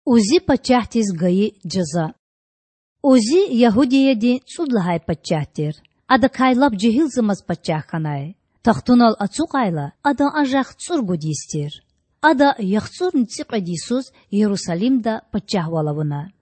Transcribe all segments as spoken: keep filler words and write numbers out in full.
Узи пачагьдиз гайи жаза. Узи Ягьудиядин цІуд лагьай пачагь тир. Адакай лап жегьилзамаз пачагь хьанай. Тахтунал ацукьайла, адан анжах цІуругуд йис тир. Ада яхцІурни цІикьвед йисуз Ярусалимда пачагьвал авуна.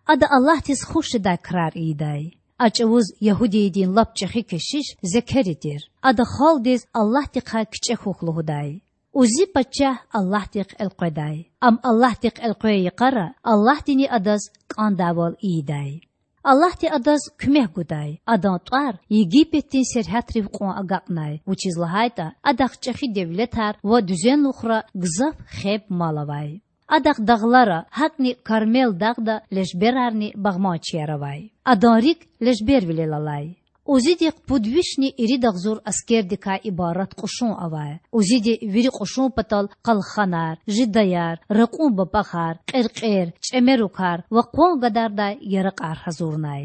Ада Аллагьдиз хуш жедай крар ийидай. А чІавуз Ягьудиядин лап чІехи кешиш Зекери тир. Ада халкьдиз Аллагьдихъай кичІе хьухь лугьудай. Узи пачагь Аллагьдихъ элкъведай. Ам Аллагьдихъ элкъвей йикъара Аллагьдини адаз кІандайвал ийидай. Аллагьди адаз куьмек гудай, адан тІвар Египетдин сергьятрив кьван агакьнай, вучиз лагьайтІа адахъ чІехи девлетар ва дуьзенлухра гзаф хеб-мал авай. Адахъ дагълара, гьакІни Кармел дагъда лежберарни багъманчияр авай. Адан рикІ лежбервилел алай. Узидихъ пуд вишни ирид агъзур аскердикай ибарат кьушун авай. Узиди вири кьушун патал къалханар, жидаяр, ракьун бапІахар, кьеркьер, чІемерукар ва къван гадардай яракьар гьазурнай.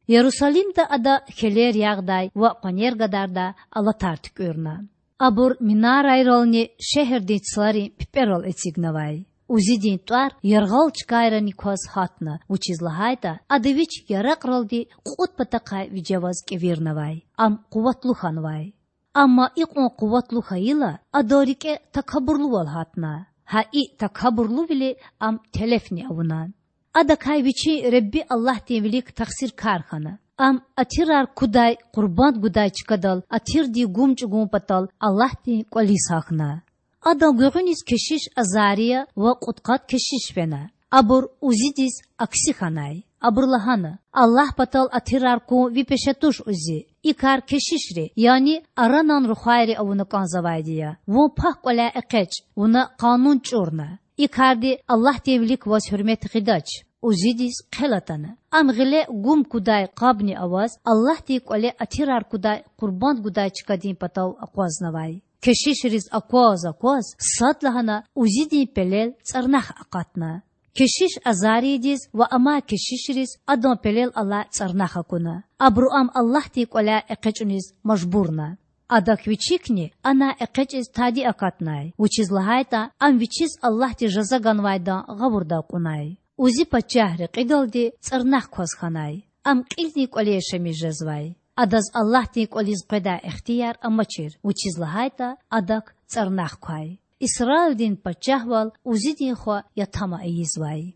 Ярусалимда ада хьелер ягъдай ва къванер гадардай алатар туькІуьрна. Абур минарайрални шегьердин цларин пипІерал эцигнавай. Узидин тІвар яргъал чкайрани кваз гьатна, вучиз лагьайтІа ада вич яракьралди кьуд патахъай вижеваз кІевирнавай. Ам къуватлу хьанвай. Амма икьван къуватлу хьайила, адан рикІе такабурлувал гьатна. Гьа и такабурлувили ам телефни авуна. Адакай вичин Худа Аллагьдин вилик тахсиркар хьана. Ам атирар кудай къурбанд гудай чкадал атирдин гум чІугун патал Аллагьдин кІвализ гьахьна. Адан гуьгъуьниз кешиш Азария ва кьудкъад кешиш фена. Абур Узидиз акси хьанай. Абуру лагьана: Аллагь патал атирар кун ви пеше туш, Узи. И кар кешишри, яни Аранан рухвайри авуна кІанзавайди я. Вун пак кІваляй экъечІ, вуна къанун чІурна. И карди Аллагьдин вилик ваз гьуьрмет гъидач. Узидиз хъел атана. Ам гъиле гум кудай къабни аваз Аллагьдин кІвале атирар кудай къурбанд гудай чкадин патав акъвазнавай. Кешишриз акваз-акваз, садлагьана Узидин пелел цІарнах акъатна. Кешиш Азариядиз ва амай кешишриз адан пелел алай цІарнах акуна. Абуру ам Аллагьдин кІваляй экъечІуниз мажбурна. Адак вичикни анай экъечІиз тади акатнай, вучиз лагьайтІа ам вичиз Аллагьди жаза ганвайдан гъавурда акьунай. Узи пачагь рекьидалди цІарнах кваз хьанай. Ам кьилдин кІвале яшамиш жезвай. Адаз Аллагьдин кІвализ къведай ихтияр амачир, вучиз лагьайтІа адак цІарнах квай. Исраилдин пачагьвал Узидин хва Ятама ийизвай.